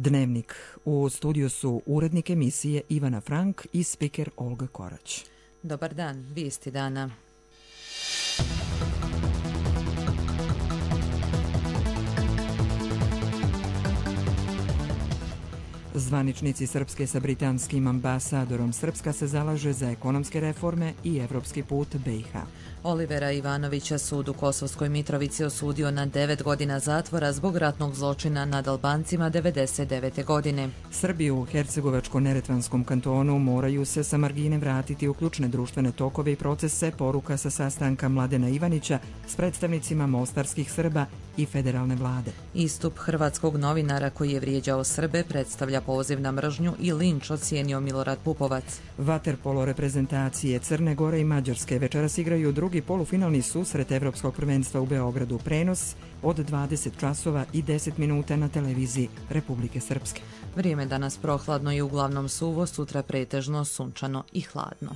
Dnevnik. U studiju su urednik emisije Ivana Frank i spiker Olga Korać. Dobar dan, vijesti dana. Zvaničnici Srpske sa britanskim ambasadorom. Srpska se zalaže za ekonomske reforme i evropski put BiH. Olivera Ivanovića sud u Kosovskoj Mitrovici osudio na 9 godina zatvora zbog ratnog zločina nad Albancima 1999. godine. Srbi u Hercegovačko-Neretvanskom kantonu moraju se sa margine vratiti u ključne društvene tokove i procese, poruka sa sastanka Mladena Ivanića s predstavnicima mostarskih Srba i federalne vlade. Istup hrvatskog novinara koji je vrijeđao Srbe predstavlja poziv na mržnju i linč, ocijenio Milorad Pupovac. Vaterpolo reprezentacije Crne Gore i Mađarske večeras igraju drugi polufinalni susret Evropskog prvenstva u Beogradu. Prenos od 20 časova i 10 minuta na televiziji Republike Srpske. Vrijeme danas prohladno i uglavnom suvo, sutra pretežno sunčano i hladno.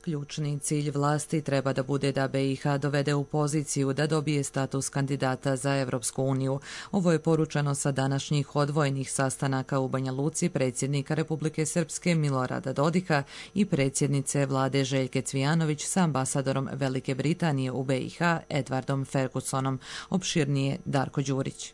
Ključni cilj vlasti treba da bude da BiH dovede u poziciju da dobije status kandidata za Evropsku uniju. Ovo je poručeno sa današnjih odvojenih sastanaka u Banja Luci predsjednika Republike Srpske Milorada Dodika i predsjednice vlade Željke Cvijanović sa ambasadorom Velike Britanije u BiH Edvardom Fergusonom. Opširnije Darko Đurić.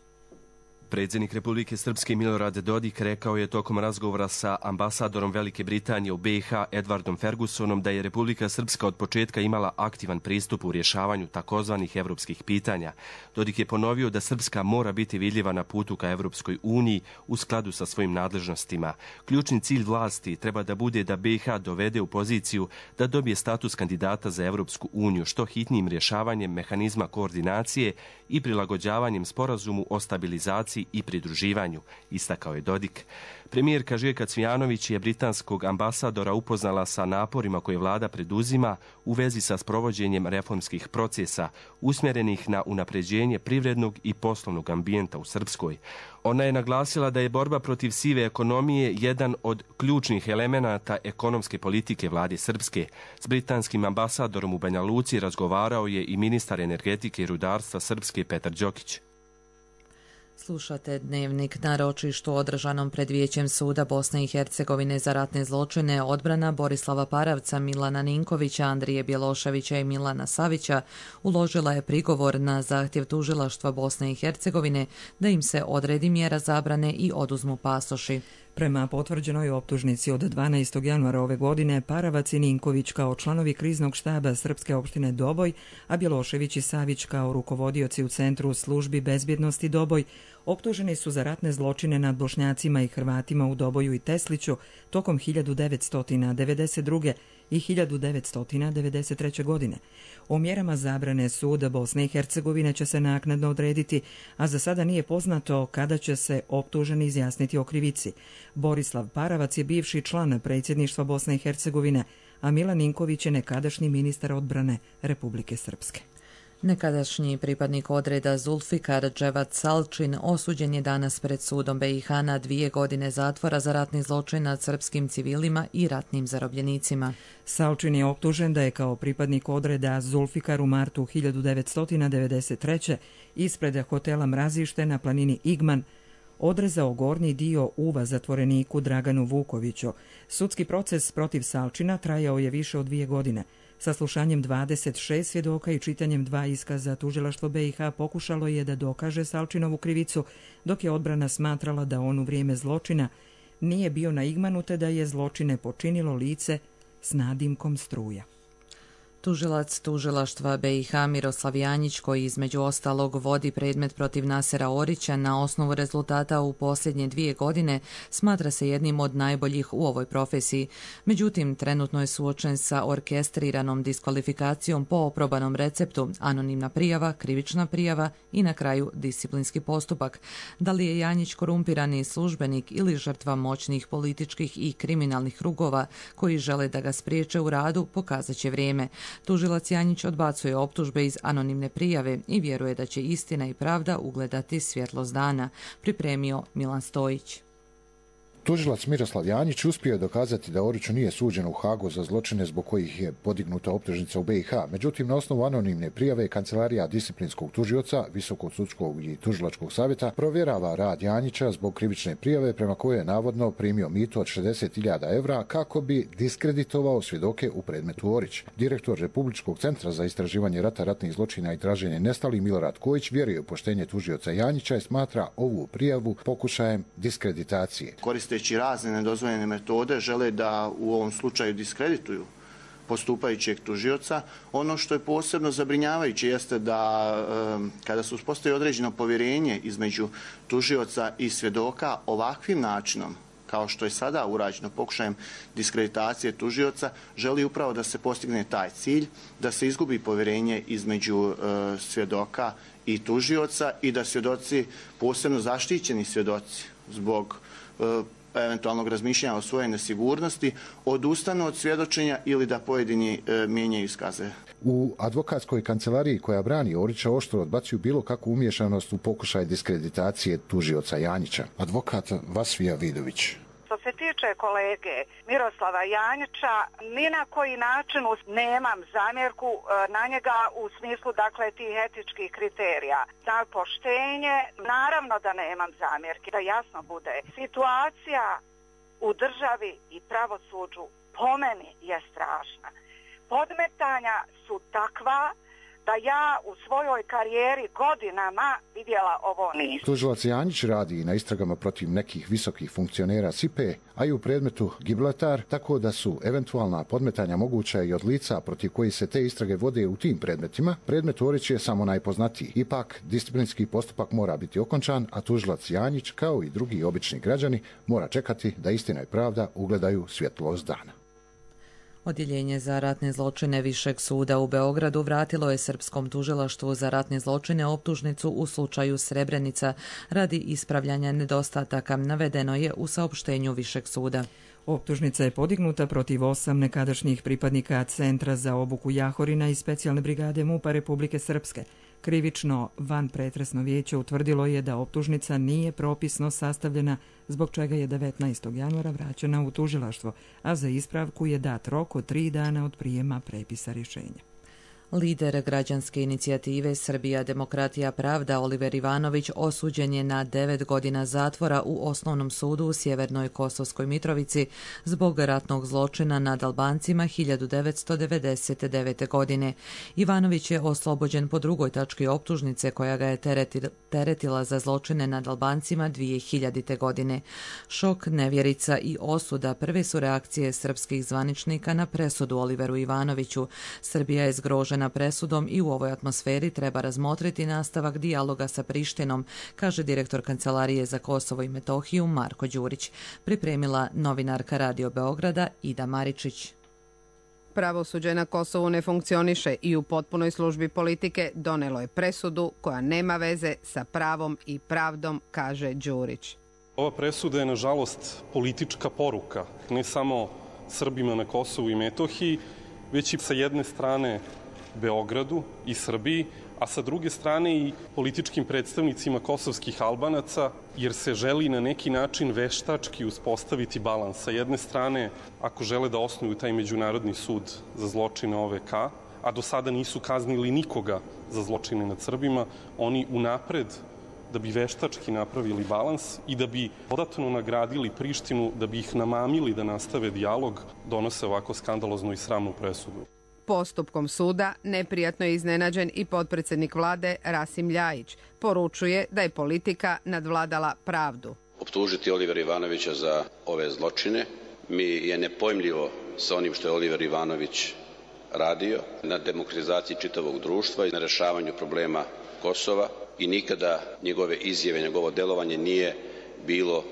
Predsjednik Republike Srpske Milorad Dodik rekao je tokom razgovora sa ambasadorom Velike Britanije u BiH Edvardom Fergusonom da je Republika Srpska od početka imala aktivan pristup u rješavanju takozvanih evropskih pitanja. Dodik je ponovio da Srpska mora biti vidljiva na putu ka Evropskoj uniji u skladu sa svojim nadležnostima. Ključni cilj vlasti treba da bude da BiH dovede u poziciju da dobije status kandidata za Evropsku uniju što hitnijim rješavanjem mehanizma koordinacije i prilagođavanjem sporazumu o stabilizaciji i pridruživanju, istakao je Dodik. Premijerka Željka Cvijanović je britanskog ambasadora upoznala sa naporima koje vlada preduzima u vezi sa sprovođenjem reformskih procesa usmjerenih na unapređenje privrednog i poslovnog ambijenta u Srpskoj. Ona je naglasila da je borba protiv sive ekonomije jedan od ključnih elemenata ekonomske politike vlade Srpske. S britanskim ambasadorom u Banja Luci razgovarao je i ministar energetike i rudarstva Srpske Petar Đokić. Slušate Dnevnik. Na ročištu održanom pred Vijećem suda Bosne i Hercegovine za ratne zločine odbrana Borislava Paravca, Milana Ninkovića, Andrije Bjeloševića i Milana Savića uložila je prigovor na zahtjev tužilaštva Bosne i Hercegovine da im se odredi mjera zabrane i oduzmu pasoši. Prema potvrđenoj optužnici od 12. januara ove godine, Paravac i Ninković kao članovi kriznog štaba Srpske opštine Doboj, a Bjelošević i Savić kao rukovodioci u Centru službi bezbjednosti Doboj, optuženi su za ratne zločine nad Bošnjacima i Hrvatima u Doboju i Tesliću tokom 1992. i 1993. godine. O mjerama zabrane suda Bosne i Hercegovine će se naknadno odrediti, a za sada nije poznato kada će se optuženi izjasniti o krivici. Borislav Paravac je bivši član predsjedništva Bosne i Hercegovine, a Milan Ninković je nekadašnji ministar odbrane Republike Srpske. Nekadašnji pripadnik odreda Zulfikar Dževat Salčin osuđen je danas pred sudom BiH na 2 godine zatvora za ratni zločin nad srpskim civilima i ratnim zarobljenicima. Salčin je optužen da je kao pripadnik odreda Zulfikar u martu 1993. ispred hotela Mrazište na planini Igman odrezao gornji dio uva zatvoreniku Draganu Vukoviću. Sudski proces protiv Salčina trajao je više od 2 godine. Saslušanjem 26 svjedoka i čitanjem 2 iskaza tužilaštvo BiH pokušalo je da dokaže Salčinovu krivicu, dok je odbrana smatrala da on u vrijeme zločina nije bio na Igmanu te da je zločine počinilo lice s nadimkom Struja. Tužilac tužilaštva BiH Miroslav Janjić, koji između ostalog vodi predmet protiv Nasera Orića na osnovu rezultata u posljednje 2 godine, smatra se jednim od najboljih u ovoj profesiji. Međutim, trenutno je suočen sa orkestriranom diskvalifikacijom po oprobanom receptu, anonimna prijava, krivična prijava i na kraju disciplinski postupak. Da li je Janjić korumpirani službenik ili žrtva moćnih političkih i kriminalnih krugova koji žele da ga spriječe u radu, pokazat će vrijeme. Tužilac Janjić odbacuje optužbe iz anonimne prijave i vjeruje da će istina i pravda ugledati svjetlost dana, pripremio Milan Stojić. Tužilac Miroslav Janjić uspio je dokazati da Oriću nije suđeno u Hagu za zločine zbog kojih je podignuta optužnica u BiH. Međutim, na osnovu anonimne prijave Kancelarija disciplinskog tužioca, Visokog sudskog i tužilačkog savjeta provjerava rad Janjića zbog krivične prijave prema kojoj je navodno primio mito od 60.000 evra kako bi diskreditovao svjedoke u predmetu Orić. Direktor Republičkog centra za istraživanje rata, ratnih zločina i traženje nestalih Milorad Kojić vjeruje u poštenje tužioca Janjića i smatra ovu prijavu pokušajem diskreditacije. Koristeći razne nedozvoljene metode žele da u ovom slučaju diskredituju postupajućeg tužioca. Ono što je posebno zabrinjavajuće jeste da kada se uspostavi određeno povjerenje između tužioca i svjedoka ovakvim načinom, kao što je sada urađeno pokušajem diskreditacije tužioca, želi upravo da se postigne taj cilj, da se izgubi povjerenje između svjedoka i tužioca i da svjedoci, posebno zaštićeni svjedoci zbog eventualnog razmišljanja o svojoj nesigurnosti, odustanu od svjedočenja ili da pojedini mijenjaju iskaze. U advokatskoj kancelariji koja brani Orića oštro odbacuju bilo kakvu umješanost u pokušaj diskreditacije tužioca Janjića. Advokat Vasvija Vidović. Što se tiče kolege Miroslava Janjića, ni na koji način nemam zamjerku na njega u smislu dakle tih etičkih kriterija. Za poštenje, naravno da nemam zamjerki, da jasno bude. Situacija u državi i pravosuđu po meni je strašna. Podmetanja su takva da ja u svojoj karijeri godinama vidjela ovo nisam. Tužilac Janjić radi na istragama protiv nekih visokih funkcionera SIPE, a i u predmetu Gibraltar, tako da su eventualna podmetanja moguća i od lica protiv koji se te istrage vode u tim predmetima. Predmet Orić je samo najpoznatiji. Ipak, disciplinski postupak mora biti okončan, a tužilac Janjić, kao i drugi obični građani, mora čekati da istina i pravda ugledaju svjetlost dana. Odjeljenje za ratne zločine Višeg suda u Beogradu vratilo je Srpskom tužilaštvu za ratne zločine optužnicu u slučaju Srebrenica radi ispravljanja nedostataka, navedeno je u saopštenju Višeg suda. Optužnica je podignuta protiv 8 nekadašnjih pripadnika Centra za obuku Jahorina i specijalne brigade MUP-a Republike Srpske. Krivično vanpretresno vijeće utvrdilo je da optužnica nije propisno sastavljena, zbog čega je 19. januara vraćena u tužilaštvo, a za ispravku je dat rok od 3 dana od prijema prepisa rješenja. Lider građanske inicijative Srbija, demokratija, pravda Oliver Ivanović osuđen je na 9 godina zatvora u Osnovnom sudu u Sjevernoj Kosovskoj Mitrovici zbog ratnog zločina nad Albancima 1999. godine. Ivanović je oslobođen po drugoj tački optužnice koja ga je teretila za zločine nad Albancima 2000. godine. Šok, nevjerica i osuda prve su reakcije srpskih zvaničnika na presudu Oliveru Ivanoviću. Srbija je zgrožena presudom i u ovoj atmosferi treba razmotriti nastavak dijaloga sa Prištinom, kaže direktor Kancelarije za Kosovo i Metohiju Marko Đurić. Pripremila novinarka Radio Beograda Ida Maričić. Pravosuđe na Kosovu ne funkcioniše i u potpunoj službi politike donelo je presudu koja nema veze sa pravom i pravdom, kaže Đurić. Ova presuda je nažalost politička poruka, ne samo Srbima na Kosovu i Metohiji, već i sa jedne strane Beogradu i Srbiji, a sa druge strane i političkim predstavnicima kosovskih Albanaca, jer se želi na neki način veštački uspostaviti balans. Sa jedne strane, ako žele da osnuju taj Međunarodni sud za zločine OVK, a do sada nisu kaznili nikoga za zločine nad Srbima, oni unapred, da bi veštački napravili balans i da bi dodatno nagradili Prištinu, da bi ih namamili da nastave dijalog, donose ovako skandaloznu i sramnu presudu. Postupkom suda neprijatno je iznenađen i potpredsjednik vlade Rasim Ljajić. Poručuje da je politika nadvladala pravdu. Optužiti Olivera Ivanovića za ove zločine mi je nepojmljivo sa onim što je Oliver Ivanović radio na demokratizaciji čitavog društva i na rešavanju problema Kosova i nikada njegove izjave, njegovo delovanje nije bilo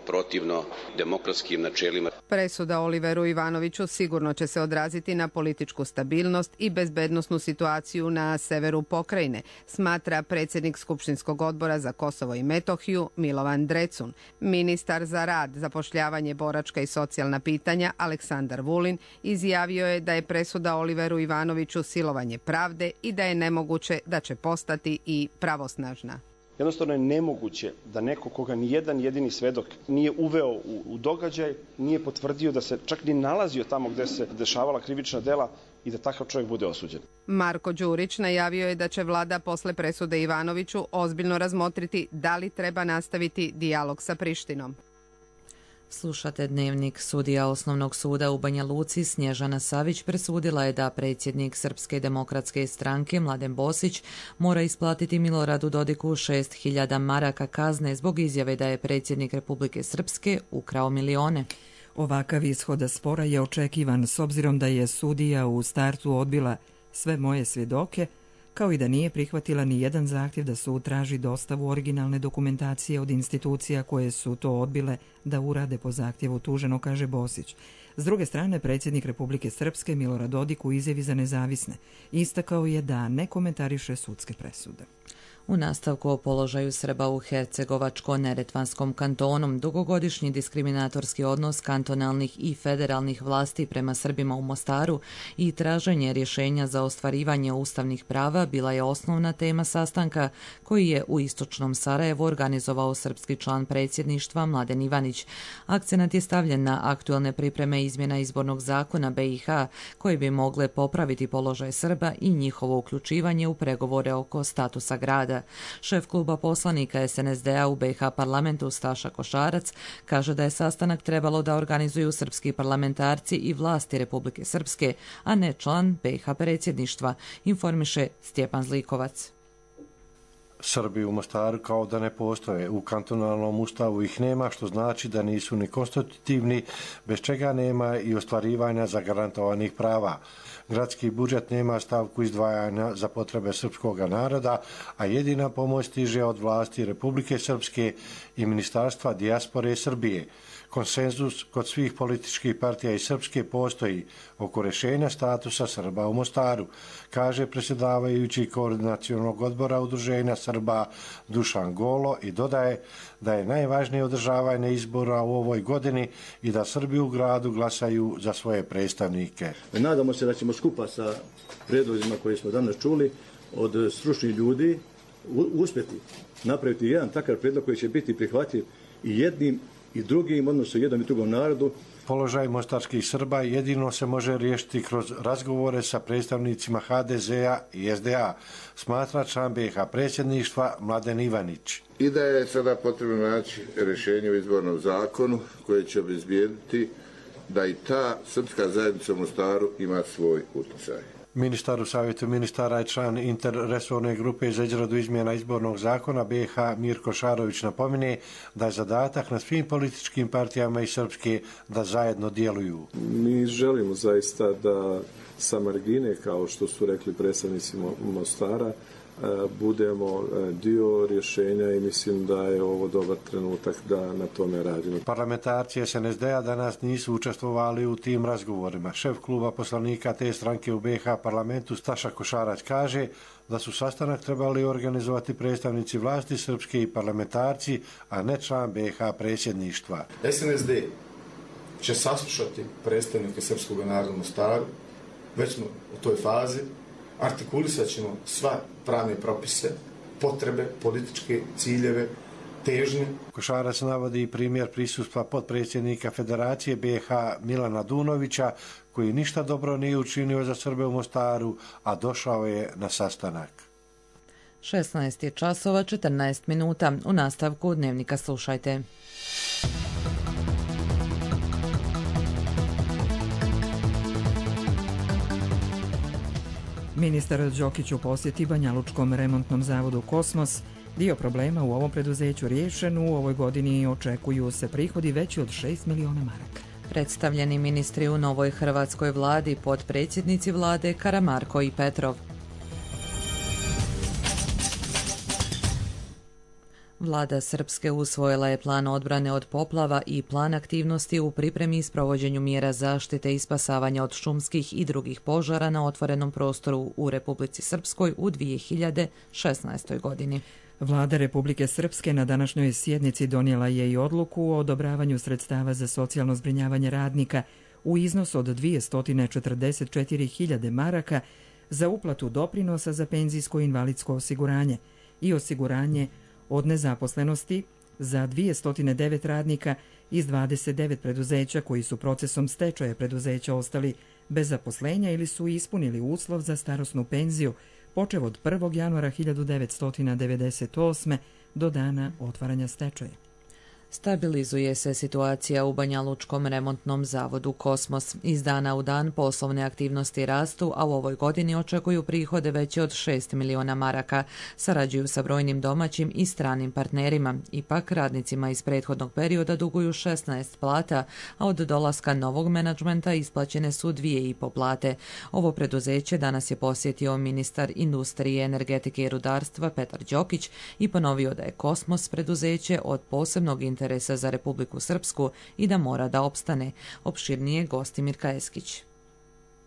protivno demokratskim načelima. Presuda Oliveru Ivanoviću sigurno će se odraziti na političku stabilnost i bezbednosnu situaciju na severu pokrajine, smatra predsjednik Skupštinskog odbora za Kosovo i Metohiju Milovan Drecun. Ministar za rad, zapošljavanje, boračka i socijalna pitanja Aleksandar Vulin izjavio je da je presuda Oliveru Ivanoviću silovanje pravde i da je nemoguće da će postati i pravosnažna. Jednostavno je nemoguće da neko koga ni jedan jedini svedok nije uveo u događaj, nije potvrdio da se čak ni nalazio tamo gde se dešavala krivična dela i da takav čovjek bude osuđen. Marko Đurić najavio je da će vlada posle presude Ivanoviću ozbiljno razmotriti da li treba nastaviti dijalog sa Prištinom. Slušate Dnevnik. Sudija Osnovnog suda u Banja Luci Snježana Savić presudila je da predsjednik Srpske demokratske stranke Mladen Bosić mora isplatiti Miloradu Dodiku 6.000 maraka kazne zbog izjave da je predsjednik Republike Srpske ukrao milione. Ovakav ishod spora je očekivan s obzirom da je sudija u startu odbila sve moje svjedoke, kao i da nije prihvatila ni jedan zahtjev da sud traži dostavu originalne dokumentacije od institucija koje su to odbile da urade po zahtjevu tuženo, kaže Bosić. S druge strane, predsjednik Republike Srpske Milorad Dodik u izjavi za Nezavisne istakao je da ne komentariše sudske presude. U nastavku o položaju Srba u Hercegovačko-Neretvanskom kantonu, dugogodišnji diskriminatorski odnos kantonalnih i federalnih vlasti prema Srbima u Mostaru i traženje rješenja za ostvarivanje ustavnih prava bila je osnovna tema sastanka koji je u istočnom Sarajevu organizovao srpski član predsjedništva Mladen Ivanić. Akcenat je stavljen na aktualne pripreme izmjena izbornog zakona BiH koje bi mogle popraviti položaj Srba i njihovo uključivanje u pregovore oko statusa grada. Šef kluba poslanika SNSD-a u BiH parlamentu Staša Košarac kaže da je sastanak trebalo da organizuju srpski parlamentarci i vlasti Republike Srpske, a ne član BiH predsjedništva, informiše Stjepan Zlikovac. Srbi u Mostaru kao da ne postoje. U kantonalnom ustavu ih nema, što znači da nisu ni konstitutivni, bez čega nema i ostvarivanja zagarantovanih prava. Gradski budžet nema stavku izdvajanja za potrebe srpskog naroda, a jedina pomoć stiže od vlasti Republike Srpske i Ministarstva dijaspore Srbije. Konsenzus kod svih političkih partija iz Srpske postoji oko rješenja statusa Srba u Mostaru, kaže predsjedavajući koordinacionog odbora Udruženja Srba Dušan Golo i dodaje da je najvažnije održavanje izbora u ovoj godini i da Srbi u gradu glasaju za svoje predstavnike. Nadamo se da ćemo skupa sa prijedlozima koje smo danas čuli od stručnih ljudi uspjeti napraviti jedan takav prijedlog koji će biti prihvatljiv i jednim i drugim, odnosno jednom i drugom narodu. Položaj mostarskih Srba jedino se može riješiti kroz razgovore sa predstavnicima HDZ-a i SDA, smatra član BiH predsjedništva Mladen Ivanić. I da je sada potrebno naći rješenje u izbornom zakonu koje će obezbijediti da i ta srpska zajednica u Mostaru ima svoj utjecaj. Ministar u Savjetu ministara i član interresorne grupe za izradu izmjena izbornog zakona BiH Mirko Šarović napominje da je zadatak na svim političkim partijama iz Srpske da zajedno djeluju. Mi želimo zaista da sa margine, kao što su rekli predstavnici Mostara, budemo dio rješenja i mislim da je ovo dobar trenutak da na tome radimo. Parlamentarci SNSD-a danas nisu učestvovali u tim razgovorima. Šef kluba poslanika te stranke u BiH parlamentu Staša Košarac kaže da su sastanak trebali organizovati predstavnici vlasti Srpske i parlamentarci, a ne član BiH predsjedništva. SNSD će saslušati predstavnike srpskog naroda u Mostaru, već smo u toj fazi, artikulisat ćemo sva pravne propise, potrebe, političke ciljeve, težnje. Košarac navodi i primjer prisustva potpredsjednika Federacije BiH Milana Dunovića, koji ništa dobro nije učinio za Srbe u Mostaru, a došao je na sastanak. 16 časova 14 minuta. U nastavku Dnevnika slušajte. Ministar Đokić u posjeti Banjalučkom remontnom zavodu Kosmos. Dio problema u ovom preduzeću riješen, u ovoj godini očekuju se prihodi veći od 6 miliona maraka. Predstavljeni ministri u novoj hrvatskoj vladi, potpredsjednici vlade Karamarko i Petrov. Vlada Srpske usvojila je plan odbrane od poplava i plan aktivnosti u pripremi i sprovođenju mjera zaštite i spasavanja od šumskih i drugih požara na otvorenom prostoru u Republici Srpskoj u 2016. godini. Vlada Republike Srpske na današnjoj sjednici donijela je i odluku o odobravanju sredstava za socijalno zbrinjavanje radnika u iznosu od 244.000 maraka za uplatu doprinosa za penzijsko i invalidsko osiguranje i osiguranje od nezaposlenosti za 209 radnika iz 29 preduzeća koji su procesom stečaja preduzeća ostali bez zaposlenja ili su ispunili uslov za starosnu penziju počev od 1. januara 1998. do dana otvaranja stečaja. Stabilizuje se situacija u Banjalučkom remontnom zavodu Kosmos. Iz dana u dan poslovne aktivnosti rastu, a u ovoj godini očekuju prihode veće od 6 miliona maraka. Sarađuju sa brojnim domaćim i stranim partnerima. Ipak, radnicima iz prethodnog perioda duguju 16 plata, a od dolaska novog menadžmenta isplaćene su 2,5 plate. Ovo preduzeće danas je posjetio ministar industrije, energetike i rudarstva Petar Đokić i ponovio da je Kosmos preduzeće od posebnog interesa za Republiku Srpsku i da mora da opstane. Opširnije Gostimir Kajeskić.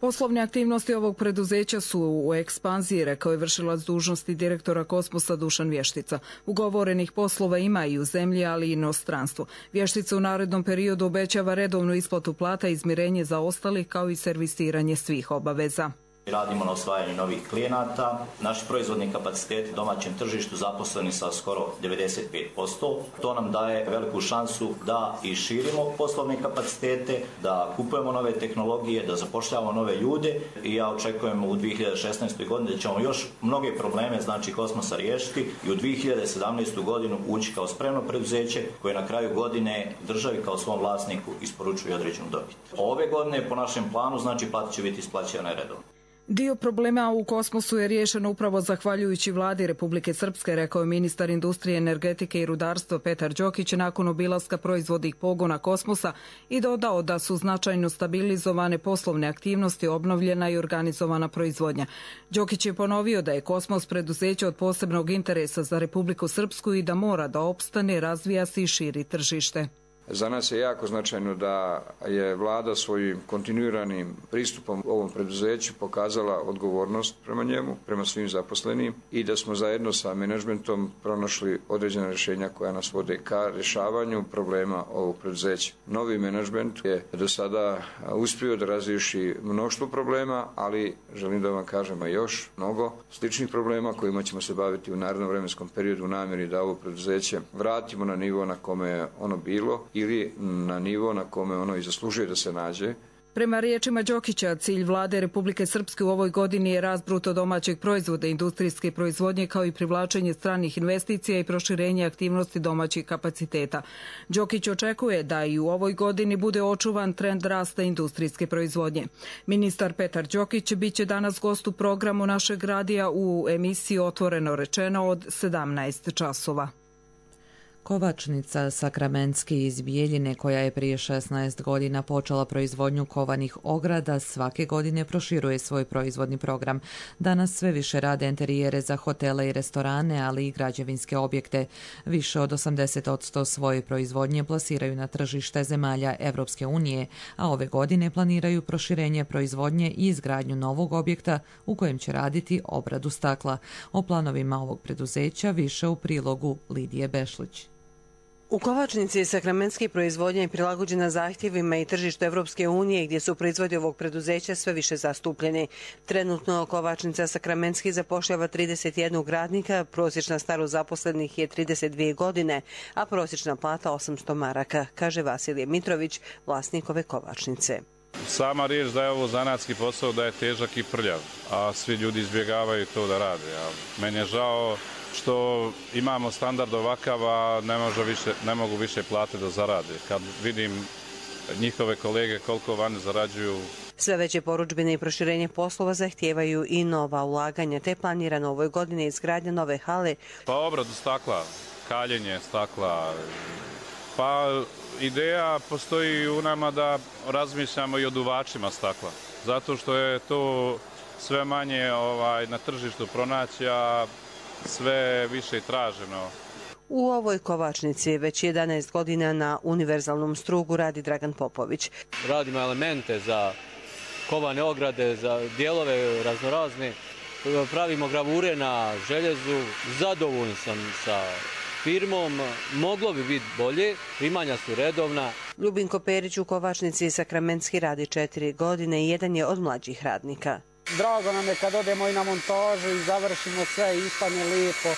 Poslovne aktivnosti ovog preduzeća su u ekspanziji, rekao je vršilac dužnosti direktora Kosmosa Dušan Vještica. Ugovorenih poslova ima i u zemlji, ali i inostranstvu. Vještica u narednom periodu obećava redovnu isplatu plata, izmirenje zaostalih kao i servisiranje svih obaveza. Radimo na osvajanju novih klijenata. Naši proizvodni kapaciteti domaćem tržištu zaposleni sa skoro 95%. To nam daje veliku šansu da i širimo poslovne kapacitete, da kupujemo nove tehnologije, da zapošljavamo nove ljude i ja očekujem u 2016. godini da ćemo još mnoge probleme Kosmosa riješiti i u 2017. godinu ući kao spremno preduzeće koje na kraju godine državi kao svom vlasniku isporučuje određenu dobit. Ove godine po našem planu plata će biti isplaćena redovno. Dio problema u Kosmosu je riješen upravo zahvaljujući vladi Republike Srpske, rekao je ministar industrije, energetike i rudarstva Petar Đokić nakon obilaska proizvodnih pogona Kosmosa i dodao da su značajno stabilizovane poslovne aktivnosti, obnovljena i organizovana proizvodnja. Đokić je ponovio da je Kosmos preduzeće od posebnog interesa za Republiku Srpsku i da mora da opstane, razvija se i širi tržište. Za nas je jako značajno da je vlada svojim kontinuiranim pristupom ovom preduzeću pokazala odgovornost prema njemu, prema svim zaposlenim i da smo zajedno sa menadžmentom pronašli određena rješenja koja nas vode ka rješavanju problema ovog preduzeća. Novi menadžment je do sada uspio da razriješi mnoštvo problema, ali želim da vam kažem još mnogo sličnih problema kojima ćemo se baviti u narednom vremenskom periodu u namjeri da ovo preduzeće vratimo na nivo na kome je ono bilo ili na nivo na kome ono i zaslužuje da se nađe. Prema riječima Đokića, cilj vlade Republike Srpske u ovoj godini je rast bruto domaćeg proizvoda, industrijske proizvodnje kao i privlačenje stranih investicija i proširenje aktivnosti domaćih kapaciteta. Đokić očekuje da i u ovoj godini bude očuvan trend rasta industrijske proizvodnje. Ministar Petar Đokić biće danas gost u programu našeg radija u emisiji Otvoreno rečeno od 17 časova. Kovačnica Sakramenski iz Bijeljine, koja je prije 16 godina počela proizvodnju kovanih ograda, svake godine proširuje svoj proizvodni program. Danas sve više rade interijere za hotele i restorane, ali i građevinske objekte. Više od 80% svoje proizvodnje plasiraju na tržište zemalja Evropske unije, a ove godine planiraju proširenje proizvodnje i izgradnju novog objekta u kojem će raditi obradu stakla. O planovima ovog preduzeća više u prilogu Lidije Bešlić. U Kovačnici Sakramenski proizvodnja je prilagođena zahtjevima i tržištu Evropske unije gdje su proizvodi ovog preduzeća sve više zastupljeni. Trenutno Kovačnica Sakramenski zapošljava 31 radnika, prosječna starost zaposlenih je 32 godine, a prosječna plata 800 maraka, kaže Vasilije Mitrović, vlasnik ove kovačnice. Sama riječ da je ovo zanatski posao, da je težak i prljav, a svi ljudi izbjegavaju to da rade. Meni je žao što imamo standard ovakav, a ne mogu više plate da zarade. Kad vidim njihove kolege koliko vani zarađuju. Sve veće porudžbine i proširenje poslova zahtijevaju i nova ulaganja, te planirano ovoj godini izgradnja nove hale. Pa obradu stakla, kaljenje stakla. Pa ideja postoji u nama da razmišljamo i o duvačima stakla. Zato što je to sve manje na tržištu pronaći, a sve više je traženo. U ovoj kovačnici već 11 godina na univerzalnom strugu radi Dragan Popović. Radimo elemente za kovane ograde, za dijelove raznorazne. Pravimo gravure na željezu. Zadovoljan sam sa firmom. Moglo bi biti bolje. Primanja su redovna. Ljubinko Perić u kovačnici Sakramenski radi 4 godine i jedan je od mlađih radnika. Drago nam je kad odemo i na montažu i završimo sve i ispane lijepo.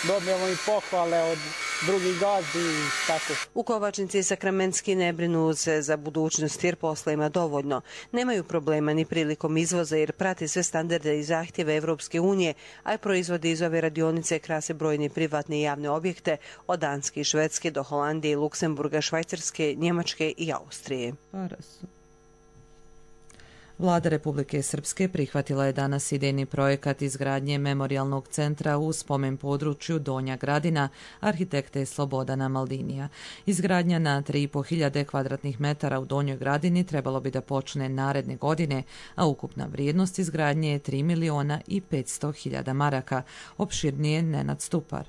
dobijemo i pohvale od drugih gazdi i tako. U Kovačnici i Sakramentski ne brinu se za budućnost jer posla ima dovoljno. Nemaju problema ni prilikom izvoza jer prati sve standarde i zahtjeve Evropske unije, a i proizvode iz ove radionice krase brojne privatne i javne objekte od Danske i Švedske do Holandije, Luksemburga, Švajcarske, Njemačke i Austrije. Vlada Republike Srpske prihvatila je danas idejni projekat izgradnje memorijalnog centra u spomen području Donja Gradina arhitekte Slobodana Maldinija. Izgradnja na 3.500 kvadratnih metara u Donjoj Gradini trebalo bi da počne naredne godine, a ukupna vrijednost izgradnje je 3.500.000 maraka. Opširnije Nenad Stupar.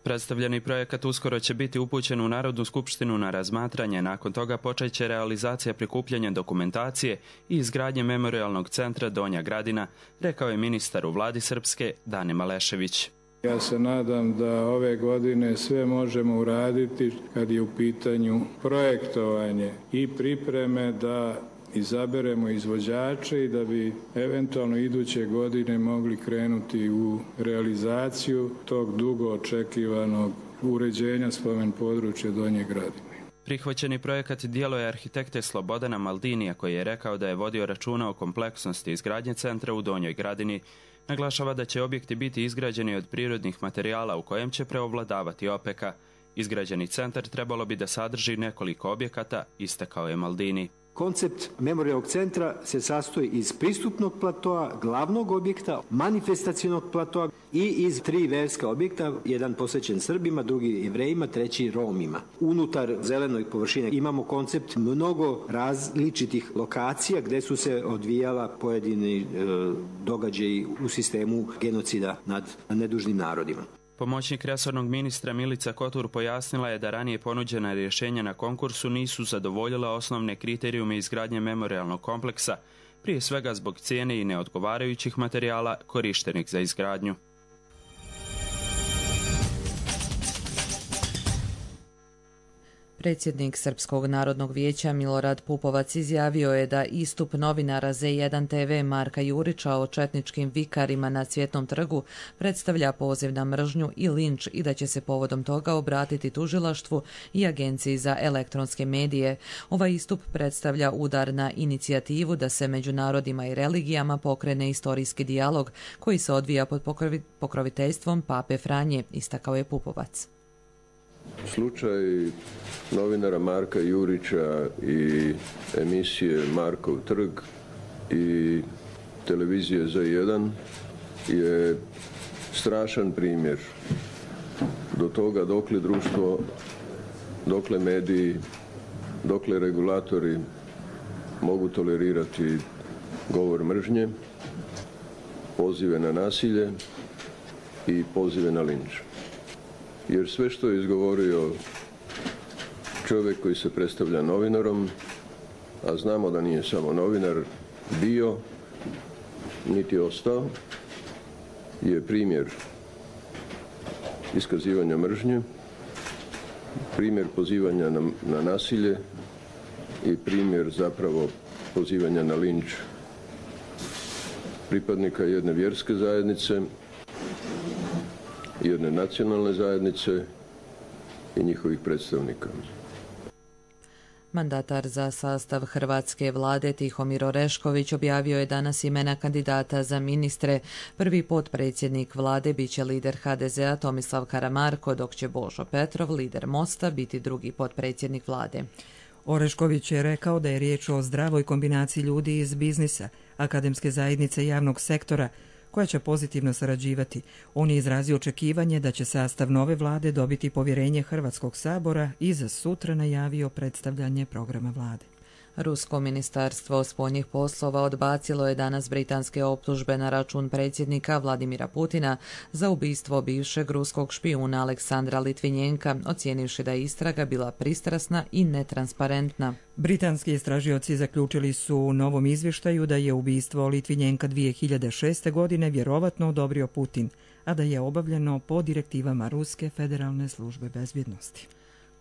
Predstavljeni projekat uskoro će biti upućen u Narodnu skupštinu na razmatranje, nakon toga počeće realizacija prikupljanja dokumentacije i izgradnje memorijalnog centra Donja Gradina, rekao je ministar u vladi Srpske Dane Malešević. Ja se nadam da ove godine sve možemo uraditi kad je u pitanju projektovanje i pripreme da izaberemo izvođače i da bi eventualno iduće godine mogli krenuti u realizaciju tog dugo očekivanog uređenja spomen područja Donje Gradine. Prihvaćeni projekat djelo je arhitekte Slobodana Maldinija, koji je rekao da je vodio računa o kompleksnosti izgradnje centra u Donjoj Gradini. Naglašava da će objekti biti izgrađeni od prirodnih materijala u kojem će preovladavati opeka. Izgrađeni centar trebalo bi da sadrži nekoliko objekata, istakao je Maldini. Koncept memorijalnog centra se sastoji iz pristupnog platoa, glavnog objekta, manifestacionog platoa i iz 3 verska objekta, jedan posvećen Srbima, drugi Jevrejima, treći Romima. Unutar zelenoj površine imamo koncept mnogo različitih lokacija gdje su se odvijala pojedini događaji u sistemu genocida nad nedužnim narodima. Pomoćnik resornog ministra Milica Kotur pojasnila je da ranije ponuđena rješenja na konkursu nisu zadovoljila osnovne kriterijume izgradnje memorijalnog kompleksa, prije svega zbog cijene i neodgovarajućih materijala korištenih za izgradnju. Predsjednik Srpskog narodnog vijeća Milorad Pupovac izjavio je da istup novinara Z1 TV Marka Jurića o četničkim vikarima na Cvjetnom trgu predstavlja poziv na mržnju i linč i da će se povodom toga obratiti tužilaštvu i Agenciji za elektronske medije. Ovaj istup predstavlja udar na inicijativu da se među narodima i religijama pokrene istorijski dijalog koji se odvija pod pokroviteljstvom Pape Franje, istakao je Pupovac. Slučaj novinara Marka Jurića i emisije Markov trg i televizije Z1 je strašan primjer do toga dokle društvo, dokle mediji, dokle regulatori mogu tolerirati govor mržnje, pozive na nasilje i pozive na linč. Jer sve što je izgovorio čovjek koji se predstavlja novinarom, a znamo da nije samo novinar bio, niti ostao, je primjer iskazivanja mržnje, primjer pozivanja na nasilje i primjer zapravo pozivanja na linč pripadnika jedne vjerske zajednice, jedne nacionalne zajednice i njihovih predstavnika. Mandatar za sastav hrvatske vlade Tihomir Orešković objavio je danas imena kandidata za ministre. Prvi potpredsjednik vlade biće lider HDZ-a Tomislav Karamarko, dok će Božo Petrov, lider Mosta, biti drugi potpredsjednik vlade. Orešković je rekao da je riječ o zdravoj kombinaciji ljudi iz biznisa, akademske zajednice i javnog sektora, koja će pozitivno sarađivati. On je izrazio očekivanje da će sastav nove vlade dobiti povjerenje Hrvatskog sabora i za sutra najavio predstavljanje programa vlade. Rusko ministarstvo spoljnih poslova odbacilo je danas britanske optužbe na račun predsjednika Vladimira Putina za ubistvo bivšeg ruskog špijuna Aleksandra Litvinjenka, ocijenivši da je istraga bila pristrasna i netransparentna. Britanski istražioci zaključili su u novom izvještaju da je ubistvo Litvinjenka 2006. godine vjerovatno odobrio Putin, a da je obavljeno po direktivama Ruske federalne službe bezbjednosti.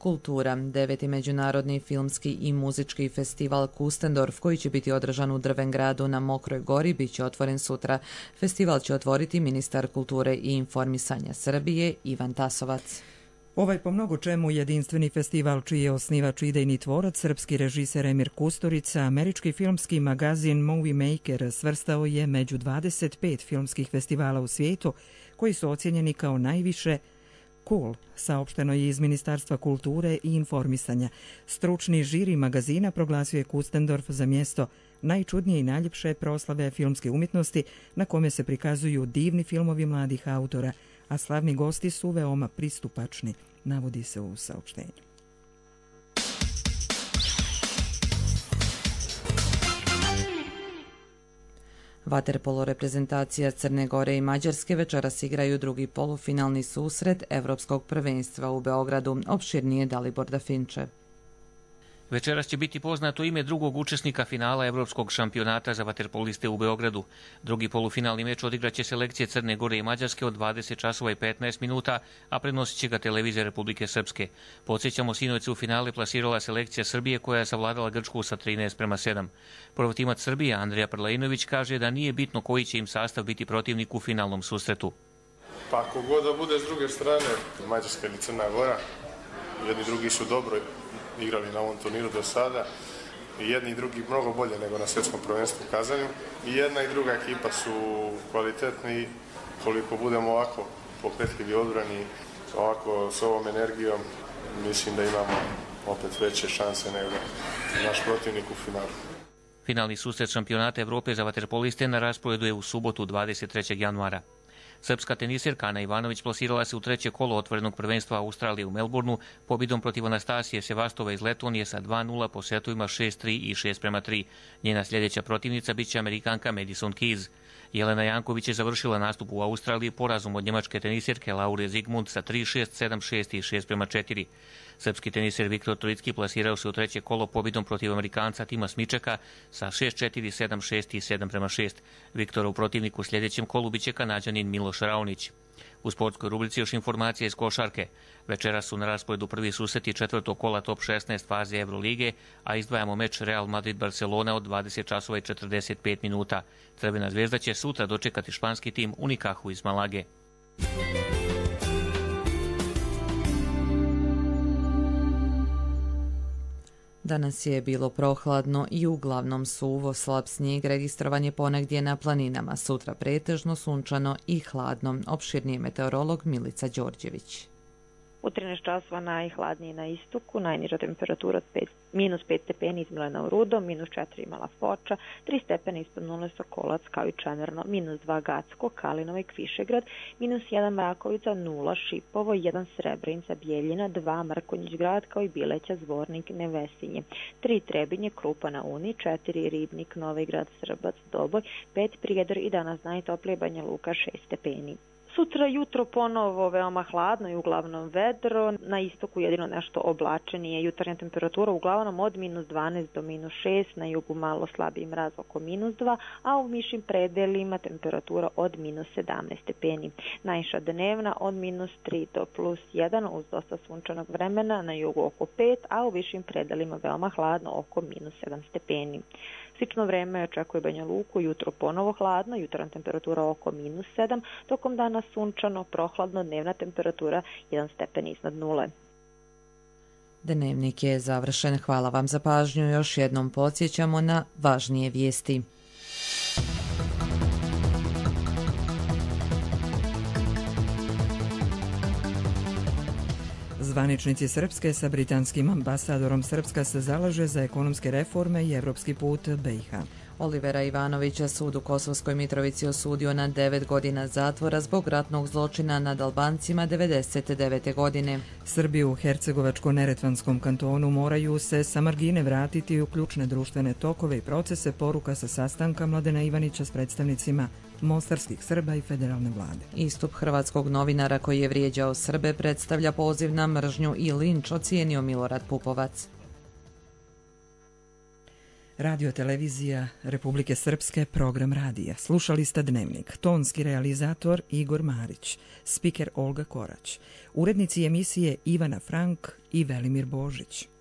Kultura, 9. međunarodni filmski i muzički festival Kustendorf, koji će biti održan u Drvengradu na Mokroj gori, bit će otvoren sutra. Festival će otvoriti ministar kulture i informisanja Srbije Ivan Tasovac. Ovaj po mnogo čemu jedinstveni festival, čiji je osnivač i idejni tvorac, srpski režiser Emir Kusturica, američki filmski magazin Movie Maker svrstao je među 25 filmskih festivala u svijetu koji su ocijenjeni kao najviše cool, saopšteno je iz Ministarstva kulture i informisanja. Stručni žiri magazina proglasio je Kustendorf za mjesto najčudnije i najljepše proslave filmske umjetnosti na kome se prikazuju divni filmovi mladih autora, a slavni gosti su veoma pristupačni, navodi se u saopštenju. Vaterpolo reprezentacija Crne Gore i Mađarske večeras igraju drugi polufinalni susret Evropskog prvenstva u Beogradu. Opširnije Dalibor Dafinče. Večeras će biti poznato ime drugog učesnika finala Evropskog šampionata za vaterpoliste u Beogradu. Drugi polufinalni meč odigraće selekcije Crne Gore i Mađarske od 20 časova i 15 minuta, a prenosit će ga televizija Republike Srpske. Podsjećamo, sinoć se u finale plasirala selekcija Srbije koja je savladala Grčku sa 13:7. Prvotimac Srbije Andrija Prlejnović kaže da nije bitno koji će im sastav biti protivnik u finalnom susretu. Pa ako god da bude s druge strane, Mađarska ili Crna Gora, jedni drugi su dobro igrali na ovom turniru do sada, i jedni i drugi mnogo bolje nego na svjetskom prvenstvu u Kazanju, i jedna i druga ekipa su kvalitetni. Koliko budemo ovako pokretljivi odbrani, ovako s ovom energijom, mislim da imamo opet veće šanse nego naš protivnik u finalu. Finalni susret šampionata Evrope za vaterpoliste na rasporedu je u subotu 23. januara. Srpska tenisirka Ana Ivanović plasirala se u treće kolo otvorenog prvenstva Australije u Melbourneu pobjedom protiv Anastasije Sevastove iz Letonije sa 2:0 po setovima 6:3 i 6:3. Njena sljedeća protivnica biće Amerikanka Madison Keys. Jelena Janković je završila nastup u Australiji porazom od njemačke tenisirke Laure Zigmund sa 3:6, 7:6 i 6:4. Srpski tenisir Viktor Trojicki plasirao se u treće kolo pobjedom protiv Amerikanca Tima Smičeka sa 6:4, 7:6 i 7:6. Viktorov protivnik u sljedećem kolu biće Kanađanin Miloš Raonić. U sportskoj rubrici još informacije iz košarke. Večeras su na rasporedu prvi susreti četvrtog kola top 16 faze Evrolige, a izdvajamo meč Real Madrid-Barcelona od 20 časova i 45 minuta. Crvena zvezda će sutra dočekati španski tim Unikahu iz Malage. Danas je bilo prohladno i uglavnom suvo, slab snijeg registrovan je ponegdje na planinama. Sutra pretežno sunčano i hladno. Opširniji meteorolog Milica Đorđević. U 13 časova najhladniji na istoku, najniža temperatura od -5 stepeni izmjela u Rudo, -4 imala Foča, 3 stepena ispod nule Sokolac kao i Čemerno, -2 Gacko, Kalinovo i Kvišegrad, -1 Mrakovica, 0 Šipovo, 1 Srebrenica, Bijeljina, 2 Mrkonjić grad kao i Bileća, Zvornik, Nevesinje, 3 Trebinje, Krupa na Uni, 4 Ribnik, Novi Grad, Srbac, Doboj, 5 Prijedor i danas najtoplije Banja Luka 6 stepeni. Sutra jutro ponovo veoma hladno i uglavnom vedro, na istoku jedino nešto oblačenije, jutarnja temperatura uglavnom od -12 do -6, na jugu malo slabiji mraz oko -2, a u višim predelima temperatura od -17 stepeni. Najviša dnevna od -3 do +1 uz dosta sunčanog vremena, na jugu oko 5, a u višim predelima veoma hladno oko -7 stepeni. Slično vreme očekuje Banja Luku, jutro ponovo hladno, jutarnja temperatura oko -7, tokom dana sunčano, prohladno, dnevna temperatura 1 stepen iznad nule. Dnevnik je završen. Hvala vam za pažnju. Još jednom podsjećamo na važnije vijesti. Zvaničnici Srpske sa britanskim ambasadorom Srpska se zalaže za ekonomske reforme i evropski put BiH. Olivera Ivanovića sud u Kosovskoj Mitrovici osudio na 9 godina zatvora zbog ratnog zločina nad Albancima 1999. godine. Srbi u Hercegovačko-Neretvanskom kantonu moraju se sa margine vratiti u ključne društvene tokove i procese, poruka sa sastanka Mladena Ivanića s predstavnicima mostarskih Srba i federalne vlade. Istup hrvatskog novinara koji je vrijeđao Srbe predstavlja poziv na mržnju i linč, ocijenio Milorad Pupovac. Radio televizija Republike Srpske, program radija. Slušali ste Dnevnik. Tonski realizator Igor Marić, spiker Olga Korać, urednici emisije Ivana Frank i Velimir Božić.